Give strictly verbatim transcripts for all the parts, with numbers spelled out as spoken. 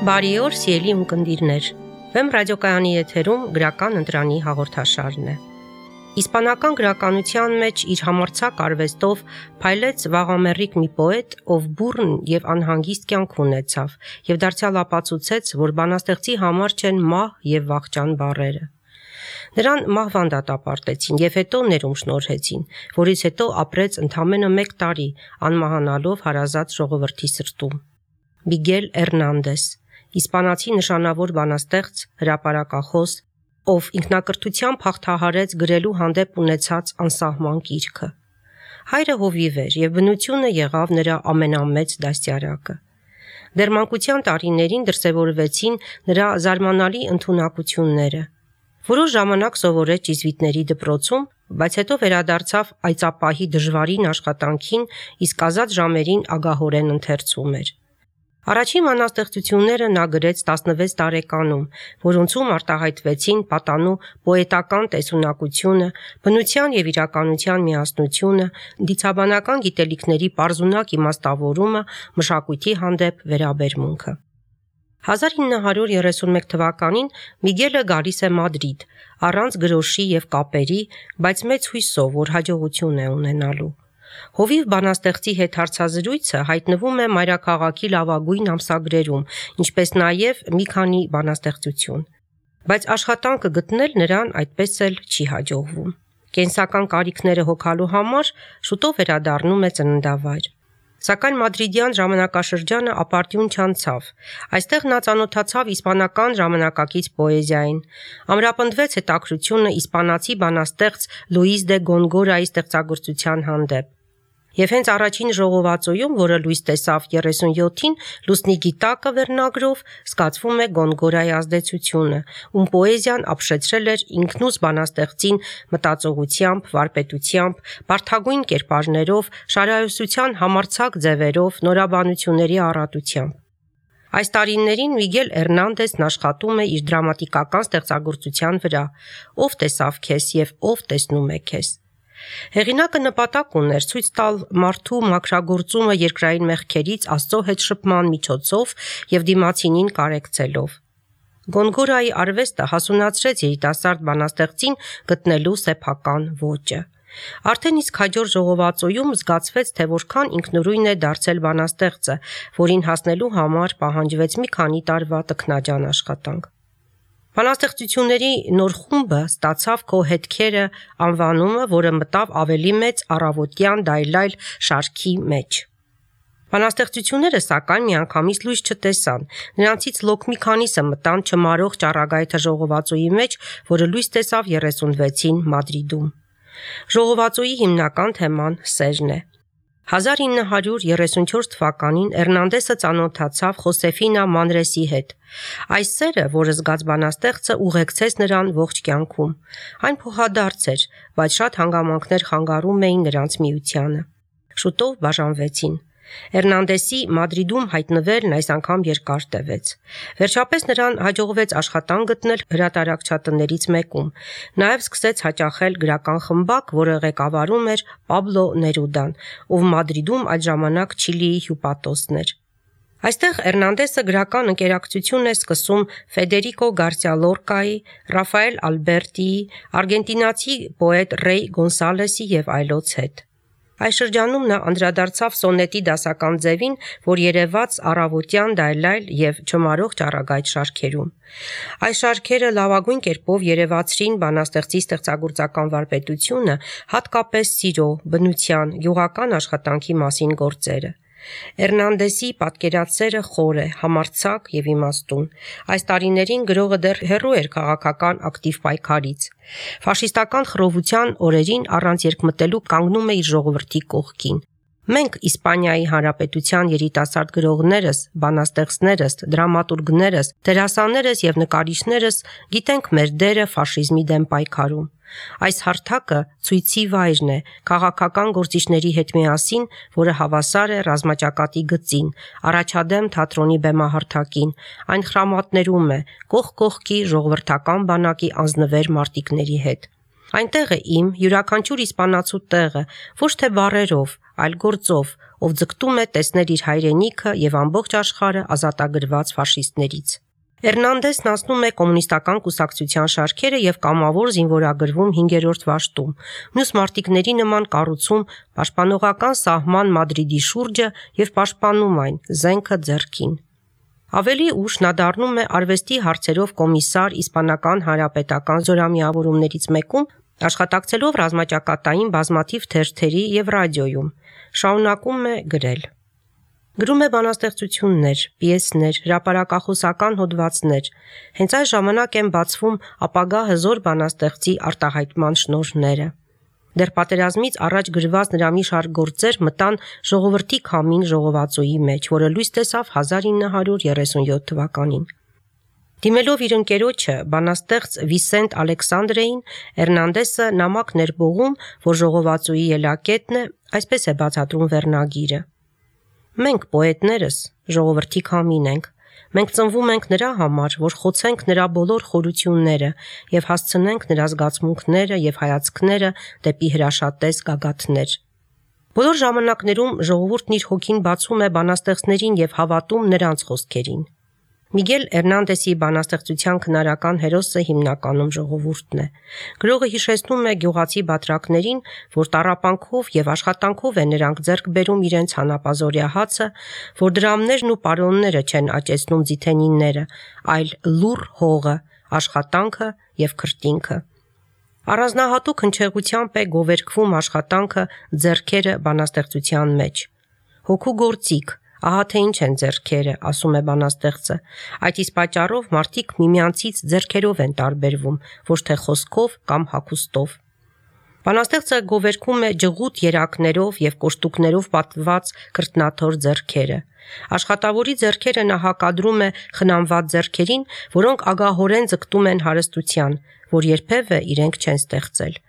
Բարի օր, սիրելի ունկնդիրներ։ Վեմ ռադիոկայանի եթերում գրական ընտրանի հաղորդաշարն է։ Իսպանական գրականության մեջ իր համարձակ արվեստով փայլեց վաղամեռիկ մի պոետ, ով բուռն եւ անհանգիստ կյանք ունեցավ եւ դարձյալ ապացուցեց, որ բանաստեղծի համար չեն մահ եւ վախճան բառերը։ Նրան մահվան դատապարտեցին եւ հետո ներում շնորհեցին, որից հետո ապրեց ընդամենը մեկ տարի, անմահանալով հարազատ ժողովրդի սրտում։ Միգել Էրնանդես, իսպանացի նշանավոր բանաստեղծ, հրապարակախոս, ով ինքնակրթությամբ հաղթահարեց գրելու հանդեպ ունեցած անսահման կիրքը։ Հայրը հովիվ էր եւ բնությունը եղավ նրա ամենամեծ դաստիարակը։ Դեռ մանկության տարիներին դրսևորվեցին նրա զարմանալի ընդունակությունները։ Որոշ ժամանակ սովորեց ճիզվիտների դպրոցում, բայց հետո վերադարձավ այծապահի դժվարին աշխատանքին, իսկ ազատ ժամերին ագահորեն ընթերցում էր։ Առաջին բանաստեղծությունները նա գրեց տասնվեց տարեկանում, որոնցում արտահայտվեցին պատանու պոետական տեսունակությունը, բնության եւ իրականության միասնությունը, դիցաբանական գիտելիքների պարզունակ իմաստավորումը, մշակույթի հանդեպ վերաբերմունքը։ հազար ինը հարյուր երեսունմեկ թվականին Միգելը գալիս է Մադրիդ, առանց գրոշի եւ կապերի, բայց մեծ հույսով, որ հաջողություն է ունենալու։ Հովիվ բանաստեղծի հետ հարցազրույցը հայտնվում է մայրաքաղաքի լավագույն ամսագրերում, ինչպես նաև մի քանի բանաստեղծություն։ Բայց աշխատանքը գտնել նրան այդպես էլ չի հաջողվում։ Կենսական կարիքները հոգալու համար շուտով վերադառնում է ծննդավայր։ Սակայն մադրիդյան ժամանակաշրջանը ապարդյուն չանցավ։ Այստեղ նա ծանոթացավ իսպանական ժամանակակից պոեզիային։ Ամրապնդվեց հետաքրությունը իսպանացի բանաստեղծ Լուիս դե Գոնգորայի ստեղծագործության հանդեպ։ Եվ հենց առաջին ժողովածոյում, որը լույս տեսավ երեսունյոթին, Լուսնի գիտակը վերնագրով, զգացվում է Գոնգորայի ազդեցությունը, ում պոեզիան ապշեցրել էր ինքնուս բանաստեղծին մտածողությամբ, վարպետությամբ, բարդագույն կերպարներով, շարահյուսության համարձակ ձևերով, նորաբանությունների առատությամբ։ Այս տարիներին Միգել Էրնանդեսն աշխատում է իր դրամատիկական ստեղծագործության վրա, ով տեսավ քեզ եւ ով տեսնում է քեզ։ Հեղինակը նպատակ ուներ ցույց տալ մարդու մաքրագործումը երկրային մեղքերից Աստծո հետ շփման միջոցով եւ դիմացինին կարեկցելով։ Գոնգորայի արվեստը հասունացրեց երիտասարդ բանաստեղծին գտնելու սեփական ոճը։ Արդեն իսկ հաջորդ ժողովածոյում զգացվեց, թե որքան ինքնուրույն է դարձել բանաստեղծը, որին հասնելու համար պահանջվեց մի քանի տարվա տքնաջան աշխատանք։ Բանաստեղծությունների նոր խումբը ստացավ «Քո հետքերը» անվանումը, որը մտավ ավելի մեծ առավոտյան դայլայլ շարքի մեջ։ Բանաստեղծությունները սակայն միանգամից լույս չտեսան, նրանցից լոկ մի քանիսը մտան «Չմարող ճառագայթը» ժողովածոյի մեջ, որը լույս տեսավ երեսունվեցին Մադրիդում։ Ժողովածոյի հիմնական թեման սերն է։ հազար ինը հարյուր երեսունչորս թվականին Էրնանդեսը ծանոթացավ Խոսեֆինա Մանրեսի հետ։ Այս սերը, որը զգաց բանաստեղծը, ուղեկցեց նրան ողջ կյանքում։ Այն փոխադարձ էր, բայց շատ հանգամանքներ խանգարում էին նրանց միությանը։ Շուտով բաժանվեցին։ Էրնանդեսի Մադրիդում հայտնվելն այս անգամ երկար տևեց։ Վերջապես նրան հաջողվեց աշխատանք գտնել հրատարակչատներից մեկում։ Նաև սկսեց հաճախել գրական խմբակ, որը ղեկավարում էր Պաբլո Ներուդան, ով Մադրիդում այդ ժամանակ Չիլիի հյուպատոսն էր։ Այստեղ Էրնանդեսը գրական ընկերակցություն է սկսում Ֆեդերիկո Գարսիա Լորկայի, Ռաֆայել Ալբերտիի, արգենտինացի պոետ Ռեյ Գոնսալեսի եւ այլոց հետ։ Այս շրջանում նա անդրադարձավ սոնետի դասական ձևին, որ երևաց առավոտյան դայլայլ եւ չմարող ճառագայթ շարքերում։ Այս շարքերը լավագույն կերպով երևացրին բանաստեղծի ստեղծագործական վարպետությունը, հատկապես սիրո, բնության, գյուղական աշխատանքի մասին գործերը։ Էրնանդեսի պատկերացերը խոր է, համարձակ եւ իմաստուն։ Այս տարիներին գրողը դեռ հեռու էր քաղաքական ակտիվ պայքարից։ Ֆաշիստական խռովության օրերին առանց երկմտելու կանգնում է իր ժողովրդի կողքին։ Մենք Իսպանիայի Հանրապետության երիտասարդ գրողներս, բանաստեղծներս, դրամատուրգներս, դերասաններս եւ նկարիչներս գիտենք մեր դերը ֆաշիզմի դեմ պայքարում։ Այս հարթակը ցույցի վայրն է քաղաքական գործիչների հետ միասին, որը հավասար է ռազմաճակատի գծին, առաջադեմ թատրոնի բեմահարթակին, այն խրամատներում է կողք կողքի ժողովրդական բանակի անձնվեր մարտիկների հետ։ Այնտեղ է իմ յուրաքանչյուր իսպանացու տեղը, ոչ թե բառերով, այլ գործով, ով ձգտում է տեսնել իր հայրենիքը եւ ամբողջ աշխարհը ազատագրված ֆաշիստներից։ Էրնանդեսն անցնում է կոմունիստական կուսակցության շարքերը եւ կամավոր զինվորագրվում հինգերորդ վաշտում։ Մյուս մարտիկների նման կառուցում պաշտպանողական սահման Մադրիդի շուրջը եւ պաշտպանում այն զենքը ձեռքին։ Ավելի ուշ նա դառնում է արվեստի հարցերով կոմիսար իսպանական հանրապետական զորամիավորումներից մեկում, աշխատակցելով ռազմաճակատային բազմաթիվ թերթերի եւ ռադիոյում, շարունակում է գրել։ Գրում է բանաստեղծություններ, պիեսներ, հրապարակախոսական հոդվածներ։ Հենց այս ժամանակ են բացվում ապագա հզոր բանաստեղծի արտահայտման շնորհները։ Դեռ պատերազմից առաջ գրված նրա մի շարք գործեր մտան ժողովրդի քամին ժողովածուի մեջ, որը լույս տեսավ հազար ինը հարյուր երեսունյոթ թվականին։ Դիմելով իր ընկերոջը, բանաստեղծ Վիսենտ Ալեքսանդրեին, Էրնանդեսը նամակ ներբողում, որ ժողովածուի ելակետն է, այսպես է բացատրում վերնագիրը։ Մենք պոետներս ժողովրդի քամին ենք։ Մենք ծնվում ենք նրա համար, որ խոցենք նրա բոլոր խորությունները եւ հասցնենք նրա զգացմունքները եւ հայացքները դեպի հրաշատես գագաթներ։ Բոլոր ժամանակներում ժողովուրդն իր հոգին բացում է բանաստեղծներին եւ հավատում նրանց խոսքերին։ Միգել Էրնանդեսի բանաստեղծության քնարական հերոսը հիմնականում ժողովուրդն է։ Գրողը հիշեցնում է գյուղացի բատրակներին, որ տառապանքով եւ աշխատանքով են նրանք ձեռք բերում իրենց հանապազորյա հացը, որ դրամներն ու պարոնները չեն աճեցնում ձիթենինները, այլ լուռ հողը, աշխատանքը եւ քրտինքը։ Առանձնահատուկ հնչեղությամբ է գովերգվում աշխատանքը ձեռքերը բանաստեղծության մեջ։ Հոգու գործիք, ահա թե ինչ են ձեռքերը, ասում է բանաստեղծը։ Այդ իսկ պատճառով մարդիկ միմյանցից ձեռքերով են տարբերվում, ոչ թե խոսքով կամ հագուստով։ Բանաստեղծը գովերգում է ջղուտ երակներով եւ կոշտուկներով պատված քրտնաթոր ձեռքերը։ Աշխատավորի ձեռքերը նա հակադրում է խնամված ձեռքերին, որոնք ագահորեն ձգտում են հարստության, որ երբևէ իրենք չեն ստեղծել։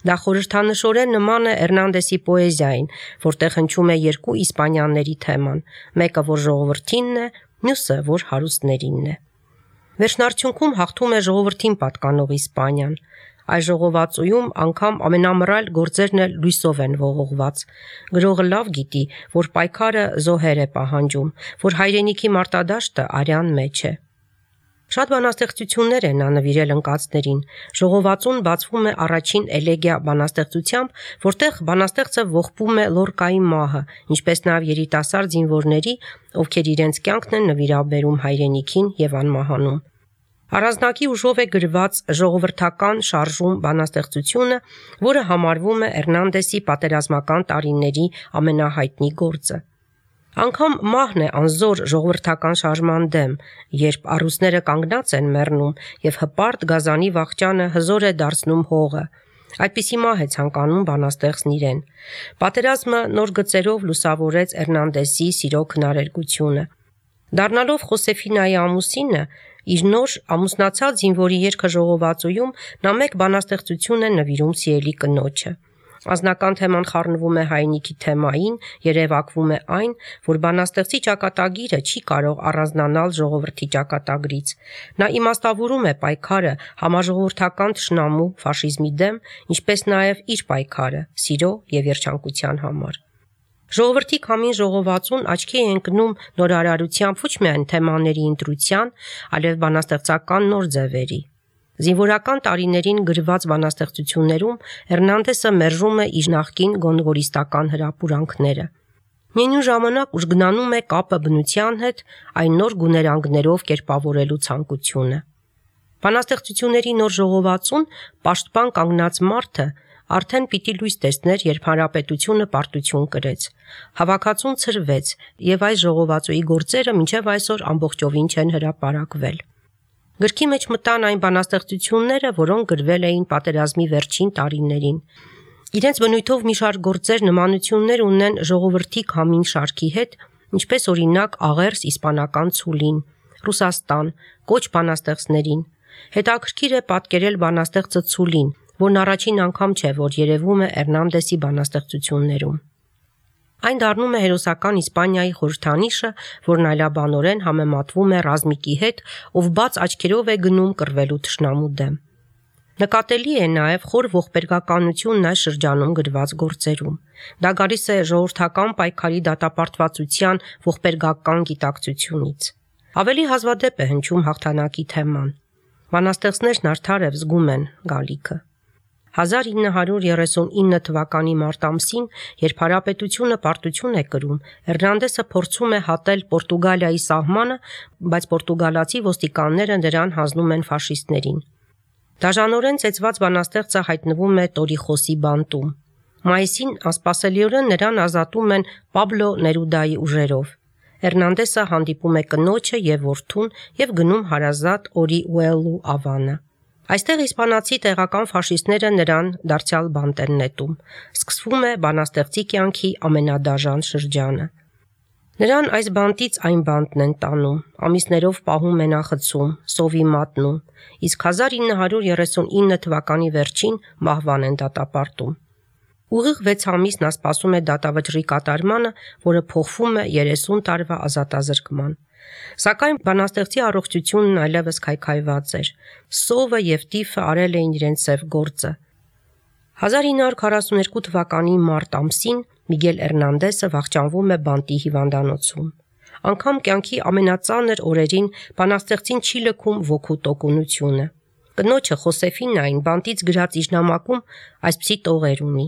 Դա խորհրդանշորեն նման է Էրնանդեսի պոեզիային, որտեղ հնչում է երկու իսպանյանների թեման, մեկը որ ժողովրդինն է, մյուսը որ հարուստներինն է։ Վերջնարդյունքում հաղթում է ժողովրդին պատկանող Իսպանիան։ Այս ժողովածուում անգամ ամենամռայլ գործերն էլ լույսով են ողողված։ Գրողը լավ գիտի, որ պայքարը զոհեր է պահանջում, որ հայրենիքի մարտադաշտը արյան մեջ է։ Շատ բանաստեղծություններ են նա նվիրել ընկածներին։ Ժողովածուն բացվում է առաջին էլեգիա բանաստեղծությամբ, որտեղ բանաստեղծը ողբում է Լորկայի մահը, ինչպես նաև երիտասարդ զինվորների, ովքեր իրենց կյանքն են նվիրաբերում հայրենիքին եւ անմահանում։ Առանձնակի ուժով է գրված ժողովրդական շարժում բանաստեղծությունը, որը համարվում է Էրնանդեսի պատերազմական տարիների ամենահայտնի գործը։ Անգամ մահն է անզոր ժողովրդական շարժման դեմ, երբ առուսները կանգնած են մեռնում եւ հպարտ գազանի վախճանը հզոր է դարձնում հողը։ Այդպիսի մահ է ցանկանում բանաստեղծն իրեն։ Պատերազմը նոր գծերով լուսավորեց Էրնանդեսի սիրո քնարերգությունը։ Դառնալով Խոսեֆինայի ամուսինը, իր նոր ամուսնացած զինվորի երգը ժողովածուում նա մեկ բանաստեղծություն է նվիրում սիրելի կնոջը։ Անձնական թեման խառնվում է հայրենիքի թեմային, երևակվում է այն, որ բանաստեղծի ճակատագիրը չի կարող առանձնանալ ժողովրդի ճակատագրից։ Նա իմաստավորում է պայքարը համաժողովրդական թշնամու ֆաշիզմի դեմ, ինչպես նաև իր պայքարը սիրո եւ երջանկության համար։ Ժողովրդի քամին ժողովածուն աչքի է ընկնում նորարարությամբ ոչ միայն թեմաների ընտրության, այլև բանաստեղծական նոր ձևերի։ Զինվորական տարիներին գրված բանաստեղծություններում Էրնանդեսը մերժում է իր նախկին գոնգորիստական հրապուրանքները։ Միևնույն ժամանակ ուժգնանում է կապը բնության հետ այն նոր գուներանգներով կերպավորելու ցանկությունը։ Բանաստեղծությունների նոր ժողովածուն պաշտպան կանգնած մարդը արդեն պիտի լույս տեսներ, երբ հանրապետությունը պարտություն կրեց։ Հավաքածուն ցրվեց, եւ այս ժողովածուի գործերը մինչև այսօր ամբողջովին չեն հրապարակվել։ Գրքի մեջ մտան այն բանաստեղծությունները, որոնք գրվել էին պատերազմի վերջին տարիներին։ Իրենց բնույթով մի շարք գործեր նմանություններ ունեն ժողովրդի քամին շարքի հետ, ինչպես օրինակ աղերս իսպանական ցուլին, Ռուսաստան, կոչ բանաստեղծներին։ Հետաքրքիր է պատկերել բանաստեղծը ցուլին, որն առաջին անգամ չէ, որ երևում է Էրնանդեսի բանաստեղծություններում։ Այն դառնում է հերոսական Իսպանիայի խորհրդանիշը, որն այլաբանորեն համեմատվում է ռազմիկի հետ, ով բաց աչքերով է գնում կռվելու թշնամու դեմ։ Նկատելի է նաև խոր ողբերգականությունն այս շրջանում գրված գործերում։ Դա գալիս է ժողովրդական պայքարի դատապարտվածության ողբերգական գիտակցությունից։ Ավելի հազվադեպ է հնչում հաղթանակի թեման։ Բանաստեղծներն արդար և զգում են գալիքը։ հազար ինը հարյուր երեսունինը թվականի մարտ ամսին, երբ հանրապետությունը պարտություն է կրում, Էրնանդեսը փորձում է հատել Պորտուգալիայի սահմանը, բայց պորտուգալացի ոստիկանները նրան հանձնում են ֆաշիստներին։ Դաժանորեն ծեծված բանաստեղծը հայտնվում է Տորիխոսի բանտում։ Մայիսին անսպասելիորեն նրան ազատում են Պաբլո Ներուդայի ուժերով։ Էրնանդեսը հանդիպում է կնոջը և որդուն և գնում հարազատ Օրիուելու ավանը։ Այստեղ իսպանացի տեղական ֆաշիստները նրան դարձյալ բանտ են նետում։ Սկսվում է բանաստեղծի կյանքի ամենադաժան շրջանը։ Նրան այս բանտից այն բանտն են տանում, ամիսներով պահում մենախցում, սովի մատնում, իսկ հազար ինը հարյուր երեսունինը թվականի վերջին մահվան են դատապարտում։ Ուղիղ վեց ամիս նա սպասում է դատավճռի կատարմանը, որը փոխվում է երեսուն տարվա ազատազրկման։ Սակայն բանաստեղծի առողջությունն այլևս քայքայված էր։ Սովը և տիֆը արել էին իրենց սև գործը։ հազար ինը հարյուր քառասունութ թվականի մարտ ամսին Միգել Էրնանդեսը վախճանվում է բանտի հիվանդանոցում։ Անգամ կյանքի ամենածանր օրերին բանաստեղծին չի լքում ոգու տոկունությունը։ Կնոջը Խոսեֆինային բանտից գրած իր նամակում այսպիսի տողեր ունի.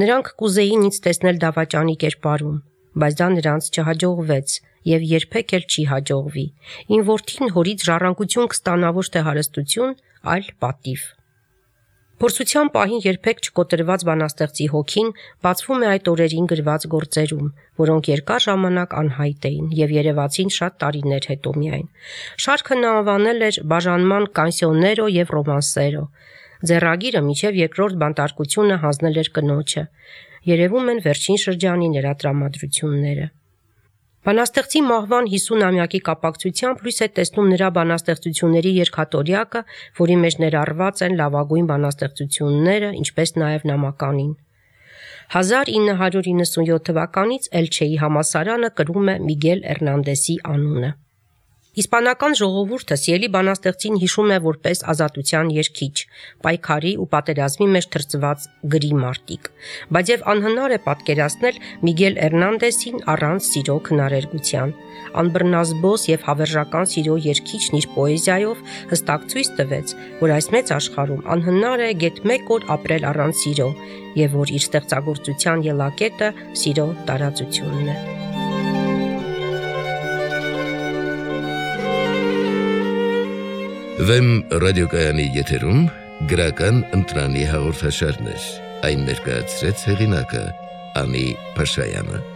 «Նրանք կուզեին ինձ տեսնել դավաճանի կերպարում, բայց դա նրանց չհաջողվեց և երբեք էլ չի հաջողվի։ Իմ որդին հորից ժառանգություն կստանա ոչ թե հարստություն, այլ պատիվ»։ Փորձության պահին երբեք չկոտրված բանաստեղծի հոգին բացվում է այդ օրերին գրված գործերում, որոնք երկար ժամանակ անհայտ էին և երևացին շատ տարիներ հետո միայն։ Շարքը նա անվանել էր «Բաժանման կանսիոներո և ռոմանսերո»։ Ձեռագիրը մինչև երկրորդ բանտարկությունը հանձնել էր կնոջը։ Երևում են վերջին շրջանի նրա տրամադրությունները։ Բանաստեղծի մահվան հիսունամյակի կապակցությամբ լույս է տեսնում նրա բանաստեղծությունների երգատորյակը, որի մեջ ներառված են լավագույն բանաստեղծությունները, ինչպես նաև նամականին։ հազար ինը հարյուր իննսունյոթ թվականից Էլչեի համալսարանը կրում է Միգել Էրնանդեսի անունը։ Իսպանական ժողովուրդը սիրելի բանաստեղծին հիշում է որպես ազատության երգիչ, պայքարի ու պատերազմի մեջ թրծված գրի մարտիկ, բայց և անհնար է պատկերացնել Միգել Էրնանդեսին առանց սիրո քնարերգության։ Անբռնազբոս և հավերժական սիրո երգիչն իր պոեզիայով հստակ ցույց տվեց, որ այս մեծ աշխարհում անհնար է գեթ մեկ օր ապրել առանց սիրո, և որ իր ստեղծագործության ելակետը սիրո տարածությունն է։ Վեմ ռադիոկայանի եթերում գրական ընտրանի հաղորդաշարներ, այն ներկայացրեց հեղինակը Անի Փաշայանը։